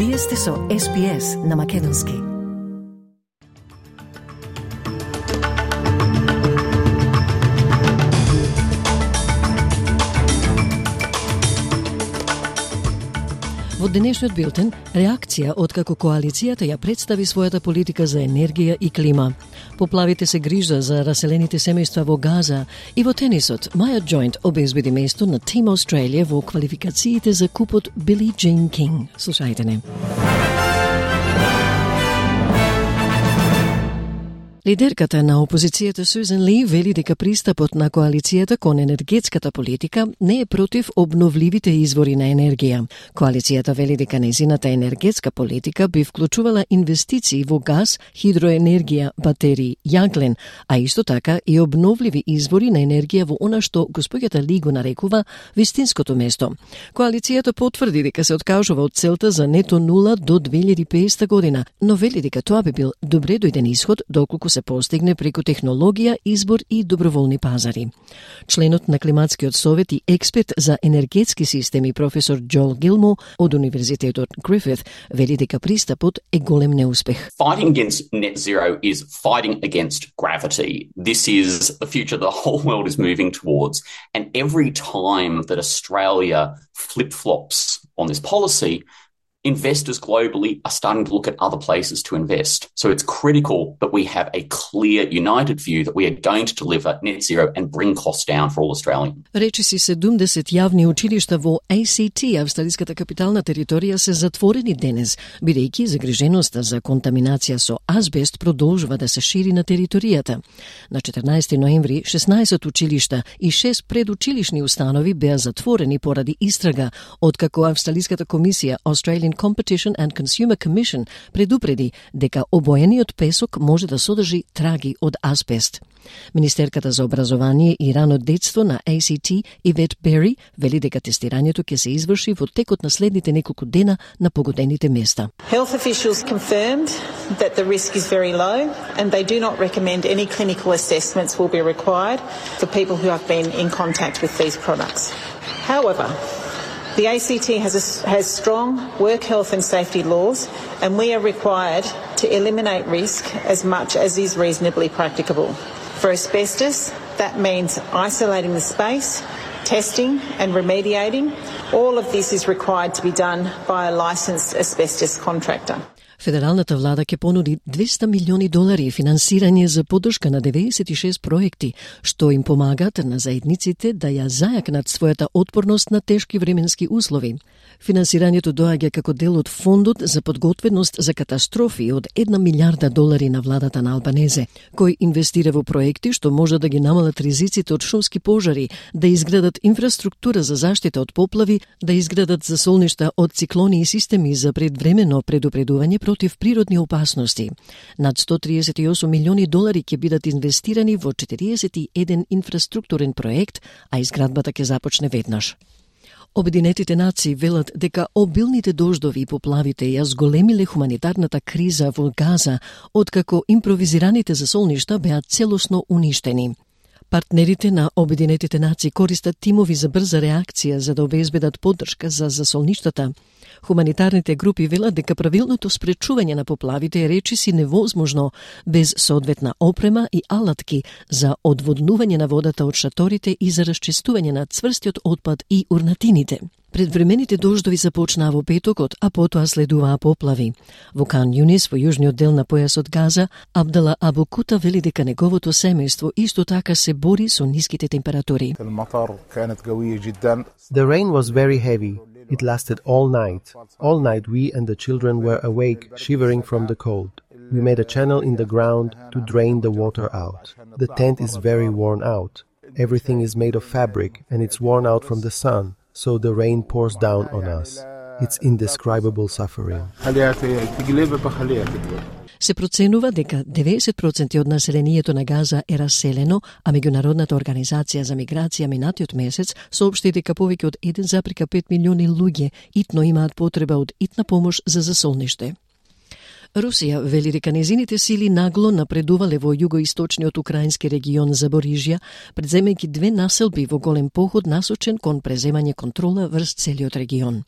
Вие сте со SPS на Македонски. Во денешниот билтен, реакција откако коалицијата ја представи својата политика за енергија и клима. Поплавите се грижа за раселените семејства во Газа и во тенисот, Маја Джойнт обезбеди место на Team Australia во квалификациите за купот Билlie Jean King. Слушајте не. Лидерката на опозицијата Сюзан Ли вели дека пристапот на коалицијата кон енергетската политика не е против обновливите извори на енергија. Коалицијата вели дека нејзината енергетска политика би вклучувала инвестиции во газ, хидроенергија, батерии, јаглен, а исто така и обновливи извори на енергија во она што господјата Ли го нарекува вистинското место. Коалицијата потврди дека се откажува од целта за нето нула до 2050 година, но вели дека тоа би бил добре дојден исход доколку се постигне преку технологија, избор и доброволни пазари. Членот на Климатскиот совет и експерт за енергетски системи професор Джоел Гилмо од Универзитетот Грифит вели дека пристапот е голем неуспех. Fighting against net zero is fighting against gravity. This is the future the whole world is moving towards. And every time that Australia flip-flops on this policy, investors globally are starting to look at other places to invest. So it's critical that we have a clear, united view that we are going to deliver net zero and bring costs down for all Australians. Речиси 70 јавни училишта во ACT, австралиската капитална територија, се затворени денес, бидејќи загриженоста за контаминација со азбест продолжува да се шири на територијата. На 14 ноември 16 училишта и 6 предучилишни установи беа затворени поради истрага, откако австралиската комисија Australian Competition and Consumer Commission предупреди дека обоениот песок може да содржи траги од азбест. Министерката за образование и рано детство на ACT, Ивет Бери, вели дека тестирањето ќе се изврши во текот на следните неколку дена на погодените места. Health officials confirmed that the risk is very low and they do not recommend any clinical assessments will be required for people who have been in contact with these products. However, the ACT has strong work health and safety laws, and we are required to eliminate risk as much as is reasonably practicable. For asbestos, that means isolating the space, testing and remediating. All of this is required to be done by a licensed asbestos contractor. Федералната влада ќе понуди $200 милиони финансирање за поддршка на 96 проекти, што им помагаат на заедниците да ја зајакнат својата отпорност на тешки временски услови. Финансирањето доаѓа како дел од фондот за подготвеност за катастрофи од $1 милиарда на владата на Албанезе, кој инвестира во проекти што може да ги намалат ризиците од шумски пожари, да изградат инфраструктура за заштита од поплави, да изградат засолништа од циклони и системи за предвремено предупредување против природни опасности. Над $138 милиони ќе бидат инвестирани во 41 инфраструктурен проект, а изградбата ќе започне веднаш. Обединетите нации велат дека обилните дождови и поплавите ја зголемиле хуманитарната криза во Газа, откако импровизираните засолништа беа целосно уништени. Партнерите на Обединетите нации користат тимови за брза реакција за да обезбедат поддршка за засолништата. Хуманитарните групи велат дека правилното спречување на поплавите е речиси невозможно без соодветна опрема и алатки за одводнување на водата од шаторите и за расчистување на цврстиот отпад и урнатините. Предвремените дождови започнаа во петокот, а потоа следуваа поплави. Во Кан Юнис, во јужниот дел на појасот Газа, Абдала Абу Кута вели дека неговото семејство исто така се бори со ниските температури. The rain was very heavy. It lasted all night. All night we and the children were awake, shivering from the cold. We made a channel in the ground to drain the water out. The tent is very worn out. Everything is made of fabric and it's worn out from the sun, so the rain pours down on us. It's indescribable suffering. Се проценува дека 90% од населението на Газа е раселено, а Меѓународната организација за миграција минатиот месец соопшти дека повеќе од 1,5 милиони луѓе итно имаат потреба од итна помош за засолниште. Русија вели дека незините сили нагло напредувале во југоисточниот украински регион Запорижја, преземајќи 2 населби во голем поход насочен кон преземање контрола врз целиот регион.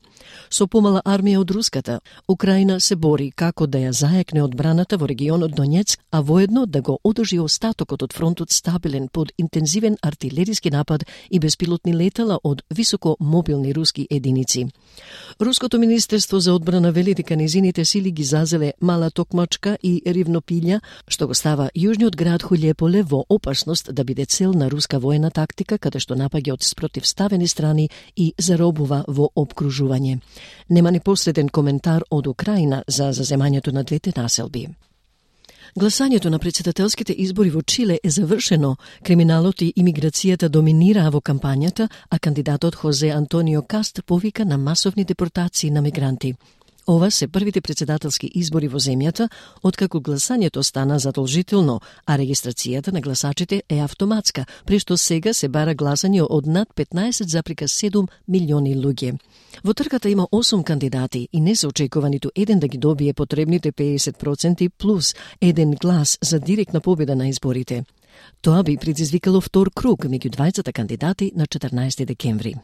Со помала армија од руската, Украина се бори како да ја зајакне одбраната во регионот Донецк, а воедно да го одржи остатокот од фронтот стабилен под интензивен артилериски напад и беспилотни летала од високо мобилни руски единици. Руското министерство за одбрана вели дека незините сили ги зазеле Мала Токмачка и Ривнопилја, што го става јужниот град Хулјеполе во опасност да биде цел на руска воена тактика, каде што напаѓа од спротивставени страни и заробува во обкружување. Нема непосреден коментар од Украина за заземањето на двете населби. Гласањето на претседателските избори во Чиле е завршено. Криминалот и имиграцијата доминираа во кампањата, а кандидатот Хозе Антонио Каст повика на масовни депортации на мигранти. Ова се првите претседателски избори во земјата, откако гласањето стана задолжително, а регистрацијата на гласачите е автоматска, при што сега се бара гласање од над 15,7 милиони луѓе. Во трката има 8 кандидати и не се очекува ниту еден да ги добие потребните 50% плюс еден глас за директна победа на изборите. Тоа би предизвикало втор круг меѓу двајцата кандидати на 14 декември.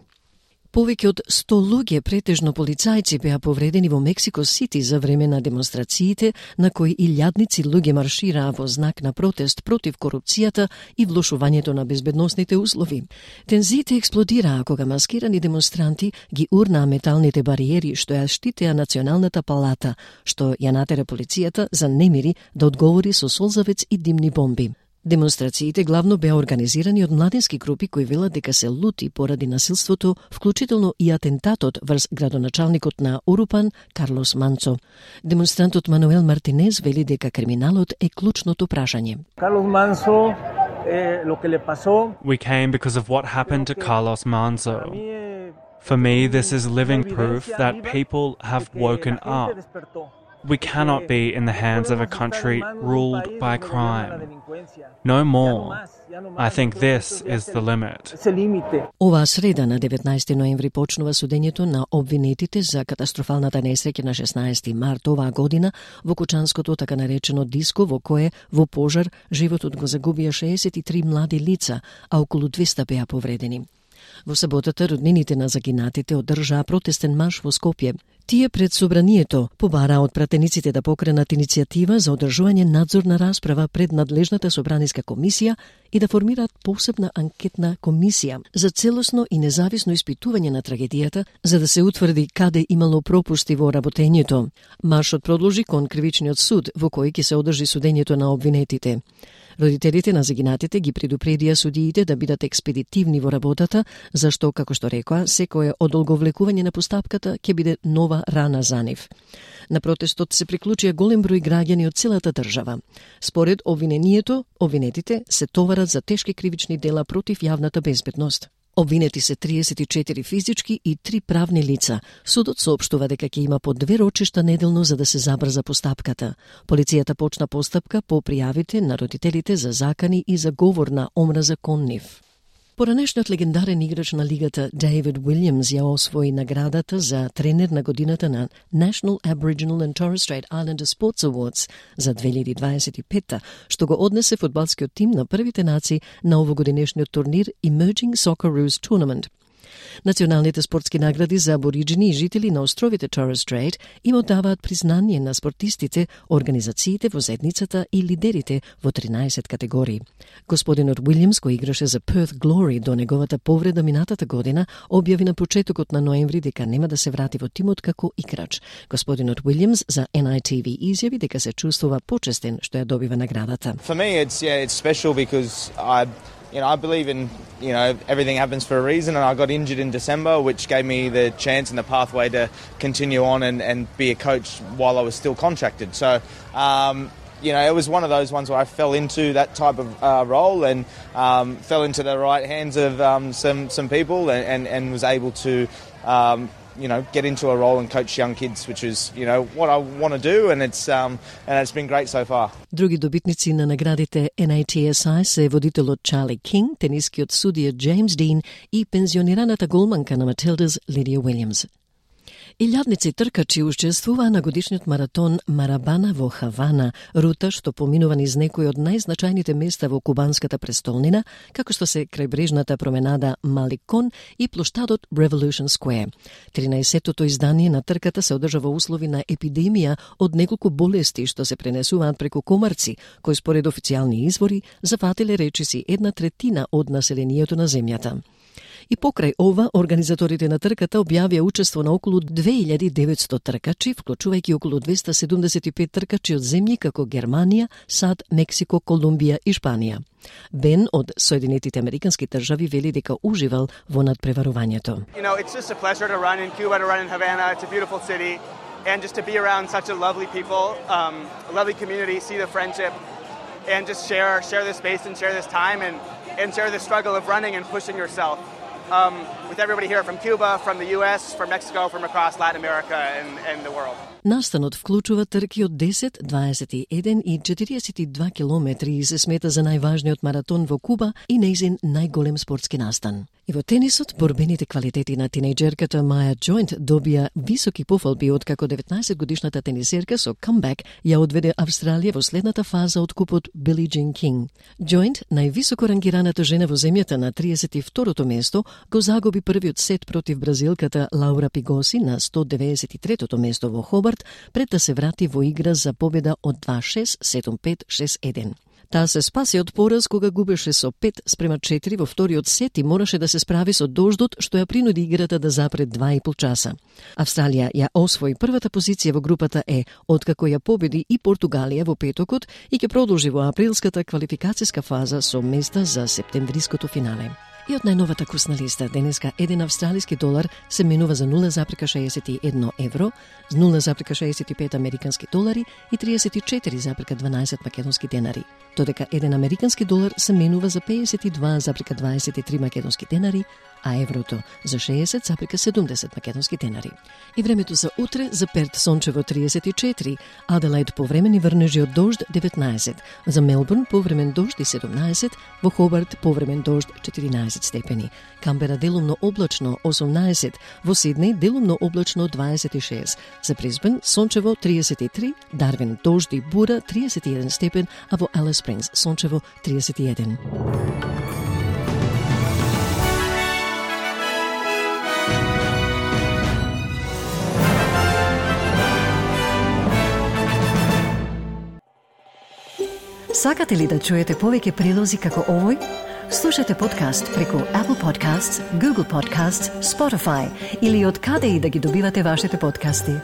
Повеќе од 100 луѓе, претежно полицајци, беа повредени во Мексико Сити за време на демонстрациите, на кои илјадници луѓе маршираа во знак на протест против корупцијата и влошувањето на безбедносните услови. Тензиите експлодираа кога маскирани демонстранти ги урнаа металните бариери што ја штитеа Националната палата, што ја натера полицијата за немири да одговори со солзавец и димни бомби. Демонстрациите главно беа организирани од младински групи кои велат дека се лути поради насилството, вклучително и атентатот врз градоначалникот на Урупан, Карлос Манцо. Демонстрантот Мануел Мартинез вели дека криминалот е клучното прашање. We came because of what happened to Carlos Manzo. For me, this is living proof that people have woken up. We cannot be in the hands of a country ruled by crime. No more. I think this is the limit. Оваа среда на 19 ноември почнува судењето на обвинетите за катастрофалната несреќа на 16 март оваа година во кучанското така наречено диско во кое во пожар животот го загубија 63 млади лица, а околу 200 беа повредени. Во саботата роднините на загинатите одржаа протестен марш во Скопје. Тие пред собранието побараа од пратениците да покренат иницијатива за одржување надзорна расправа пред надлежната собраниска комисија и да формираат посебна анкетна комисија за целосно и независно испитување на трагедијата, за да се утврди каде имало пропусти во работењето. Маршот продолжи кон кривичниот суд во кој ќе се одржи судењето на обвинетите. Родителите на загинатите ги предупредија судиите да бидат експедитивни во работата, зашто, како што рекоа, секое одолговлекување на постапката ќе биде нова рана за нив. На протестот се приклучија голем број граѓани од целата држава. Според обвинението, обвинетите се товарат за тешки кривични дела против јавната безбедност. Обвинети се 34 физички и 3 правни лица. Судот соопштува дека ќе има по 2 рочишта неделно за да се забрза постапката. Полицијата почна постапка по пријавите на родителите за закани и за говор на омраза кон нив. Поранешниот легендарен играч на лигата Дейвид Уилјамс ја освои наградата за тренер на годината на National Aboriginal and Torres Strait Islander Sports Awards за 2025, што го однесе фудбалскиот тим на првите нации на овогодинешниот турнир Emerging Socceroos Tournament. Националните спортски награди за абориджини и жители на островите Torres Strait им оддаваат признание на спортистите, организациите во заедницата и лидерите во 13 категории. Господинот Уилјамс, кој играше за Perth Glory до неговата повреда минатата година, објави на почетокот на ноември дека нема да се врати во тимот како играч. Господинот Уилјамс за NITV изјави дека се чувствува почестен што ја добива наградата. For me it's special because I believe in, everything happens for a reason, and I got injured in December, which gave me the chance and the pathway to continue on and be a coach while I was still contracted. So, it was one of those ones where I fell into that type of role and fell into the right hands of some people and was able to get into a role and coach young kids, which is, what I want to do, and it's been great so far. Други добитници на наградите NATSI се водителот Чарли Кинг, тенискиот судија Джеймс Дин и пензионираната голманка на Матилдас Лидија Уилјамс. Илјадници тркачи учествуваа на годишниот маратон Марабана во Хавана, рута што поминува низ некои од најзначајните места во кубанската престолнина, како што се крајбрежната променада Маликон и плоштадот Revolution Square. 13-тото издание на трката се одржа во услови на епидемија од неколку болести што се пренесуваат преку комарци, кои според официјални извори зафатиле речиси 1/3 од населението на земјата. И покрај ова, организаторите на трката објавија учество на околу 2900 тркачи, вклучувајќи околу 275 тркачи од земји како Германија, САД, Мексико, Колумбија и Шпанија. Бен од Соединетите Американски држави вели дека уживал во надпреварувањето. It's just a pleasure to run in Cuba, to run in Havana. It's a beautiful city, and just to be around such a lovely people, a lovely community, see the friendship, and just share this space and share this time and share the struggle of running and pushing yourself. With everybody here from Cuba, from the US, from Mexico, from across Latin America and the world. Настанот вклучува трки од 10, 21 и 42 километри и се смета за најважниот маратон во Куба и нејзин најголем спортски настан. И во тенисот, борбените квалитети на тинејџерката Маја Джойнт добија високи пофалби откако 19-годишната тенисерка со камбек ја одведе Австралија во следната фаза од купот Били Джин Кинг. Джойнт, највисоко рангираната жена во земјата на 32-то место, го загуби првиот сет против бразилката Лаура Пигоси на 193-то место во Хобарт, пред да се врати во игра за победа од 2-6, 7-5, 6-1. Таа се спаси од пораз кога губеше со 5-4 во вториот сет и мораше да се справи со дождот што ја принуди играта да запре 2,5 часа. Австралија ја освои првата позиција во групата Е, откако ја победи и Португалија во петокот и ќе продолжи во априлската квалификацијска фаза со места за септемвриското финале. И од најновата курсна листа, денеска 1 австралиски долар се менува за 0,61 евро, 0,65 американски долари и 34,12 македонски денари. Додека 1 американски долар се менува за 52,23 македонски денари, а еврото за 60,70 македонски денари. И времето за утре: за Перт сончево 34, Аделаид повремени врнежи од дожд 19, за Мелбурн повремен дожд и 17, во Хобарт повремен дожд 14 степени, Камбера делумно облачно 18, во Сиднеј делумно облачно 26, за Брисбен сончево 33, Дарвин дожд и бура 31 степен, а во Алис Спрингс сончево 31. Сакате ли да чуете повеќе прилози како овој? Слушате подкаст преку Apple Podcasts, Google Podcasts, Spotify или од каде и да ги добивате вашите подкасти.